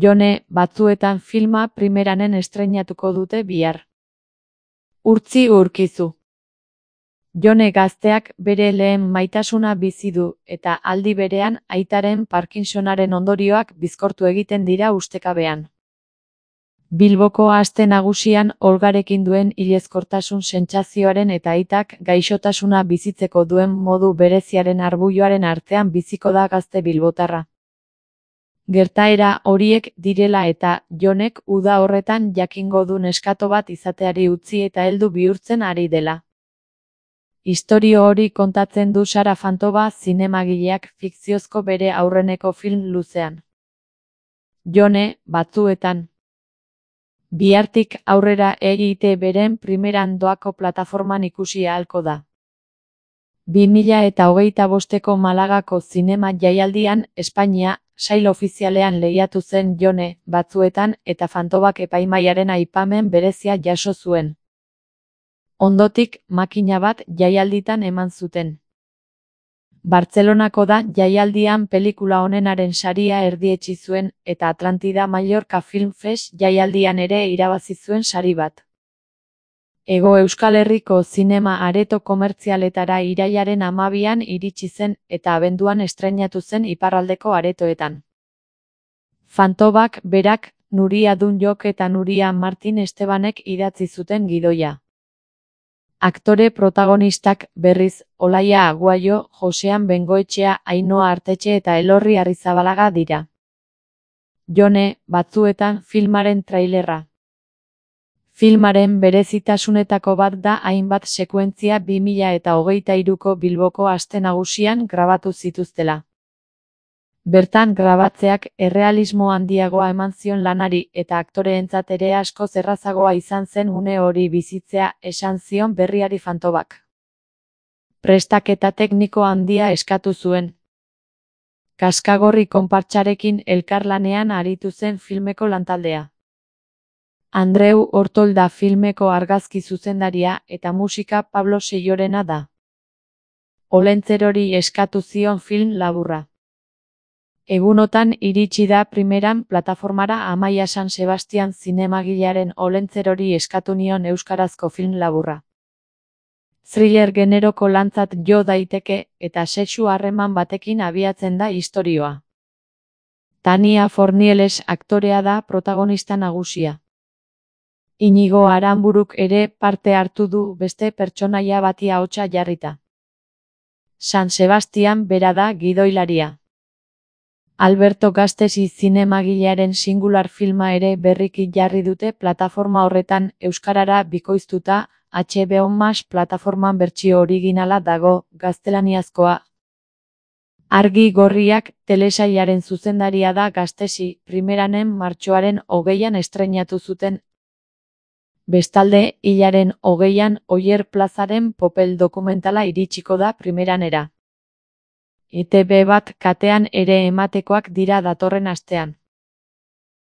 Jone batzuetan filma primeranen estreinatuko dute bihar. Urtzi Urkizu. Jone gazteak bere lehen maitasuna bizi du eta aldi berean aitaren Parkinsonaren ondorioak bizkortu egiten dira ustekabean. Bilboko Aste Nagusian Olgarekin duen hilezkortasun sentsazioaren eta aitak gaixotasuna bizitzeko duen modu bereziaren arbuioaren artean biziko da gazte bilbotarra. Gertaera horiek direla eta Jonek uda horretan jakingo du neskato bat izateari utzi eta heldu bihurtzen ari dela. Istorio hori kontatzen du Sara Fantova zinemagileak fikziozko bere aurreneko film luzean. Jone batzuetan. Bihartik aurrera EITB-ren primeran doako plataforman ikusi ahalko da. 2025ko Malagako zinema jaialdian Espainia sail ofizialean lehiatu zen Jone batzuetan eta Fantovak epaimahaiaren aipamen berezia jaso zuen. Ondotik makina bat jaialditan eman zuten. Bartzelonako da jaialdian pelikula onenaren saria erdietsi zuen eta Atlantida Mallorca Film Fest jaialdian ere irabazi zuen sari bat. Hego Euskal Herriko zinema areto komertzialetara irailaren 12an iritsi zen eta abenduan estreinatu zen iparraldeko aretoetan. Fantovak berak, Nuria Dunjok eta Nuria Martin Estebanek idatzi zuten gidoia. Aktore protagonistak berriz Olaia Aguayo, Josean Bengoetxea, Ainhoa Artetxe eta Elorri Arrizabalaga dira. Jone batzuetan filmaren trailerra. Filmaren berezitasunetako bat da hainbat sekuentzia 2023ko Bilboko Aste Nagusian grabatu zituztela. Bertan grabatzeak errealismo handiagoa eman zion lanari eta aktoreentzat ere askoz errazagoa izan zen une hori bizitzea, esan zion berriari Fantovak. Prestaketa tekniko handia eskatu zuen. Kaskagorri konpartsarekin elkarlanean aritu zen filmeko lantaldea. Andreu Ortolda filmeko argazki zuzendaria eta musika Pablo Seiorena da. Olentzerori eskatu zion film laburra. Egunotan iritsi da primeran plataformara Amaia San Sebastian zinemagilearen Olentzerori eskatu nion euskarazko film laburra. Thriller generoko lantzat jo daiteke eta sexu harreman batekin abiatzen da istorioa. Tania Fornieles aktorea da protagonista nagusia. Inigo Aranburuk ere parte hartu du beste pertsonaia bati ahotsa jarrita. San Sebastian bera da gidoilaria. Alberto Gastesi zinemagilearen singular filma ere berriki jarri dute plataforma horretan euskarara bikoiztuta, HBO Max plataforman bertsio originala dago, gaztelaniazkoa. Argi Gorriak telesailaren zuzendaria da Gastesi, primeranen martxoaren 20an estreinatu zuten. Bestalde, hilaren 20an Oier Plazaren Popel dokumentala iritsiko da primeranera. ETB bat katean ere ematekoak dira datorren astean.